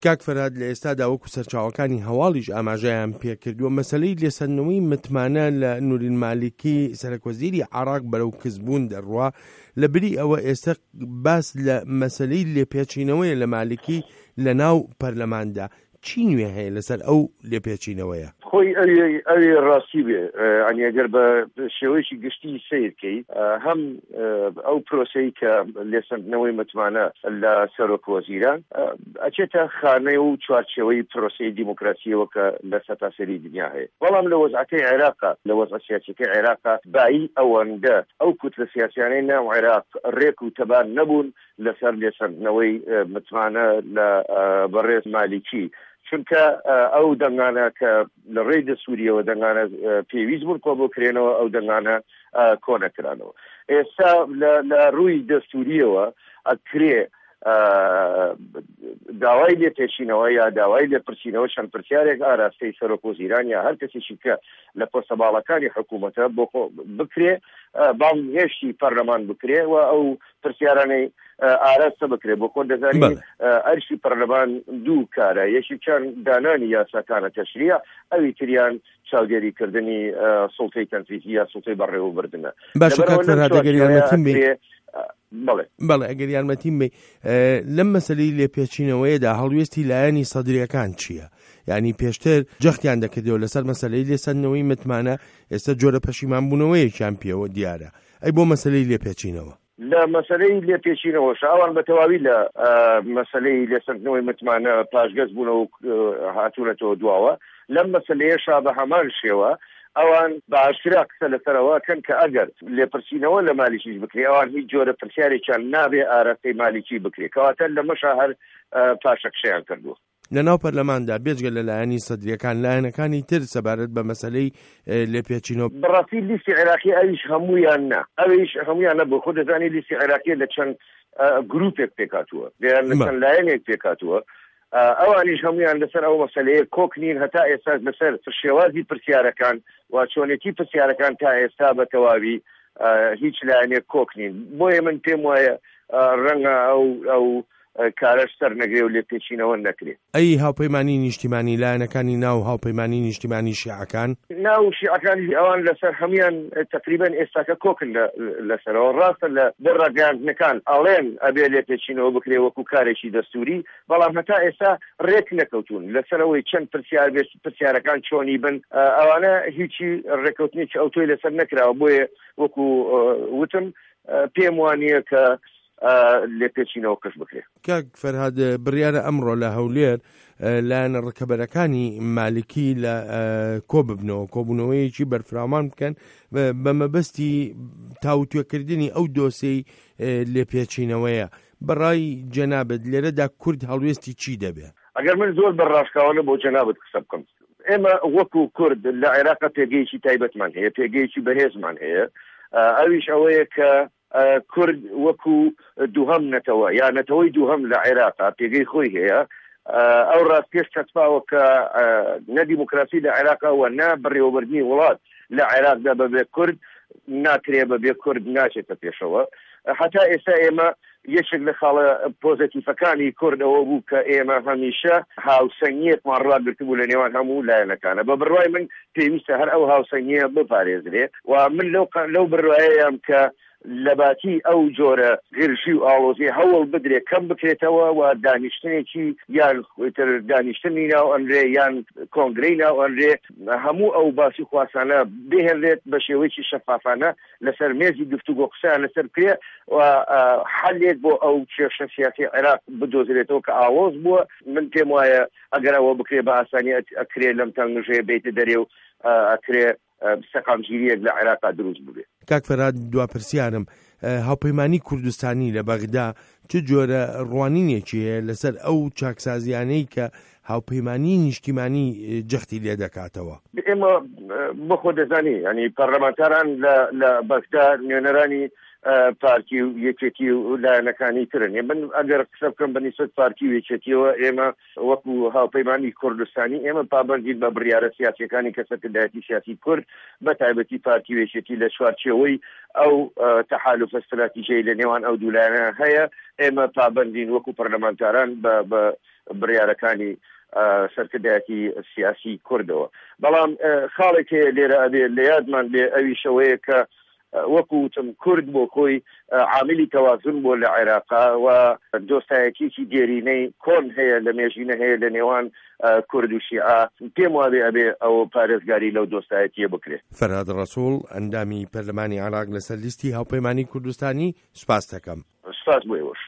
کاک فەرهاد لە ئێستادا وەکو سەرچاوەکانی هەواڵیش ئاماژەیان پێکردووە مەسەلەی لێسەندنەوەی متمانە لە نورین مالیکی سەرەکوەزیری عێراق بەرەو کزبوون دەڕوا لە بری ئەوە ئێستا باس لە مەسەلەی لێپێچینەوەیە لە مالیکی لە ناو پەرلەماندا چی نوێ هەیە لەسەر ئەو لێپێچینەوەیە؟ خۆی ئەوی ئەوی ڕاستی بێ یانی ئەگەر بە شێوەیەکی گشتی سەیر کەی هەم ئەو پرۆسەی کە لێسەندنەوەی متمانە لە سەرۆک وەزیران ئەچێتە خانەی و چوارچێوەی پرۆسەی دیموکراسیەوە کە لە سەرتاسەری دنیا هەیە بەڵام لە وەزعەکەی عێراقا لە وەزعە سیاسیەکەی عێراقا بایی ئەوەندە ئەو کوتلە سیاسیانەی ناو عێراق ڕێک و تەبا نەبوون لەسەر لێسەندنەوەی متمانە لە بەڕێز مالیکی چونکە ئەو دەنگانە کە لە ڕێی دەستوریەوە دەنگانە پێویست بوون کۆبکرێنەوە ئەو دەنگانە کۆنەکرانەوە ئێستا لە ڕووی دەستوریەوە ئەکرێ داوای لێپێچینەوە یا داوای لێپرسینەوە چەند پرسیارێک ئاراستەی سەرۆک وەزیران یا هەر کەسێکی کە لە پۆستە باڵەکانی حکوومەتە بۆ بکرێ بانگهێشتی پەرلەمان بکرێ و ئەو پرسیارانەی ئاراستە بکرێ بۆ خۆ دەزانی ئەرشی پەرلەمان دوو کارە یەکێکیان دانانی یاساکانە تەشریع ئەوی تریان چاودێری کردنی سوڵتەی تەنفیزی یا سوڵتەی بەڕێوەبردنە. باشە کاک فەرهاد ئەگەر یارمەتیم بەی بەڵێ بەڵێ ئەگەر یارمەتیم بەی لەم مەسەلەی لێپێچینەوەیەدا هەڵوێستی لایەنی سەدریەکان چییە؟ یعنی پێشتر جەختیان دەکردەوە لەسەر مەسەلەی لێسەندنەوەی متمانە ئێستا جۆرە پەشیمان بوونەوەیەکیان پێوە دیارە ئەی بۆ مەسەلەی لێپێچینەوە؟ لە مەسەلەی لێپێچینەوەش ئەوان بە تەواوی لە مەسەلەی لێسەندنەوەی متمانە پاشگەز بوونەوە و هاتوونەتەوە دواوە، لەم مەسەلەیەشا بە هەمان شێوە ئەوان بە ئاشکرا قسە لەسەر ئەوە ئەکەن کە ئەگەر لێپرسینەوە لە مالیکیش بکرێ ئەوان هیچ جۆرە پرسیارێکیان نابێ ئاراستەی مالیکی بکرێ، کەواتە لەمەشا هەر پاشەکشەیان کردووە. لە ناو پەرلەماندا بێجگە لە لایەنی سەدرییەکان، لایەنەکانی تر سەبارەت بە مەسەلەی لێپێچینەوە. بەڕاستی لیستی عێراقی ئەویش هەموویان نا، ئەویش هەموویان نا، بۆ خۆت دەزانی لیستی عێراقیە لە چەند گروپێک پێکهاتووە، یان لە چەند لایەنێک پێکهاتووە، ئەوانیش هەموویان لەسەر ئەو مەسەلەیە کۆک نین، هەتا ئێستاش لەسەر شێوازی پرسیارەکان و چۆنێتی پرسیارەکان تا ئێستا بە تەواوی هیچ لایەنێک کۆک نین، بۆیە من پێم وایە ڕەنگە ئەو ئەو کارەش سەر نەگرێ و لێپێچینەوە نەکرێ. ئەی هاوپەیمانی نیشتیمانی، لایەنەکانی ناو هاوپەیمانی نیشتیمانی شیعەکان؟ ناو شیعەکانیش ئەوان لەسەر هەموویان تەقریبەن ئێستاکە کۆکن لەسەرەوە. ڕاستە لە بۆ ڕاگەیاندنەکان ئەڵێن ئەبێ لێپێچینەوە بکرێ وەکو کارێکی دەستووری، بەڵام هەتا ئێستا ڕێک نەکەوتوون لەسەر ئەوەی چەند پرسیار بێ، پرسیارەکان چۆنی بن، ئەوانە هیچی ڕێککەوتنێکی ئەوتۆی لەسەر نەکراوە، بۆیە وەکو وتم پێم وانییە کە لێپێچینەوەکەش بکرێ. کاک فەرهاد بڕیارە ئەمڕۆ لە هەولێر لایەنە ڕکەبەرەکانی مالکی لە کۆ ببنەوە کۆبوونەوەیەکی بەرفراوان بکەن بە مەبەستی تاوتوێکردنی ئەو دۆسێی لێپێچینەوەیە بەڕای جەنابت لێرەدا کورد هەڵوێستی چی دەبێ؟ ئەگەر من زۆر بە ڕاشکاوانە بۆ جەنابت قسە بکەم ئێمە وەکو کورد لە عێراق پێگەیەکی تایبەتمان هەیە پێگەیەکی بەهێزمان هەیە ئەویش ئەوەیە کە کورد وەکو دووهەم نەتەوە یا نەتەوەی دووهەم لە عێراقا پێگەی خۆی هەیە، ئەو ڕاستیەش چەسپاوە کە نە دیموکراسی لە عێراقا و نە بەڕێوەبردنی وڵات لە عێراقدا بە بێ کورد ناکرێ، بە بێ کورد ناچێتە پێشەوە. هەتا ئێستا ئێمە یەکێک لە خاڵە پۆزەتیفەکانی کورد ئەوە بوو کە ئێمە هەمیشە هاوسەنگییەکمان ڕاگرتبوو لە نێوان هەموو لایەنەکانە. بە بڕوای من پێویستە هەر ئەو هاوسەنگییە بپارێزرێ و من لەو لەو بڕوایەیام کە لەباتی ئەو جۆرە گرژی و ئاڵۆزییە هەوڵ بدرێ کەم بکرێتەوە و دانیشتنێکی یان تر دانیشتنی ناو ئەنرێ یان کۆنگرەی ناو ئەنرێ هەموو ئەو باس و خواسانە بهێنرێت بە شێوەیەکی شەفافانە لەسەر مێزی گفتوگۆ قسەیان لەسەر بکرێ و حەلێک بۆ ئەو کێشە سیاسی عێراق بدۆزرێتەوە کە ئاڵۆز بووە. من پێم وایە ئەگەر ئەوە بکرێ بە ئاسانی ئەکرێ لەم تەنگژەیە بێیتە دەرێ و ئەکرێ سەقامگیرییەک لە عێراقا دروست ببێ. کاک فەرهاد دوا پرسیارم، هاوپەیمانی کوردستانی لە بەغدا چ جۆرە ڕوانینێکی هەیە لەسەر ئەو چاکسازیانەی کە هاوپەیمانیی نیشتیمانی جەختی لێ دەکاتەوە؟ ئێمە بۆ خۆ دەزانی یانی پەرلەمانتاران لە لە بەغدا نوێنەرانی. پارتی و یەکێتی و لایەنەکانی ترن. من ئەگەر قسە بکەم بە نیسبەت پارتی و یەکێتیەوە، ئێمە وەکو هاوپەیمانی کوردستانی ئێمە پابەندین بە بڕیارە سیاسیەکانی کە سەرکردایەتی سیاسی کورد بە تایبەتی پارتی و یەکێتی لە چوارچێوەی ئەو تەحالوفە ستراتیژەی لە نێوان ئەو دوو لایەنە هەیە، ئێمە پابەندین وەکو پەرلەمانتاران بە بڕیارەکانی سەرکردایەتی سیاسی کوردەوە. بەڵام خاڵێک هەیە لێرە ئەبێ لە یادمان بێ، ئەویش ئەوەیە کە وەکو وتم کورد بۆ خۆی عاملی تەوازن بووە لە عێراقا و دۆستایەتیەکی دێرینەی کۆن هەیە لە مێژینە هەیە لە نێوان کورد و شیعە، پێم وابێ ئەبێ ئەوە پارێزگاری لەو دۆستایەتیە بکرێ. فەرهاد ڕەسوڵ، ئەندامی پەرلەمانی عێراق لەسەر لیستی هاوپەیمانی کوردستانی، سوپاست دەکەم. سوپاس بۆ ئێوەش.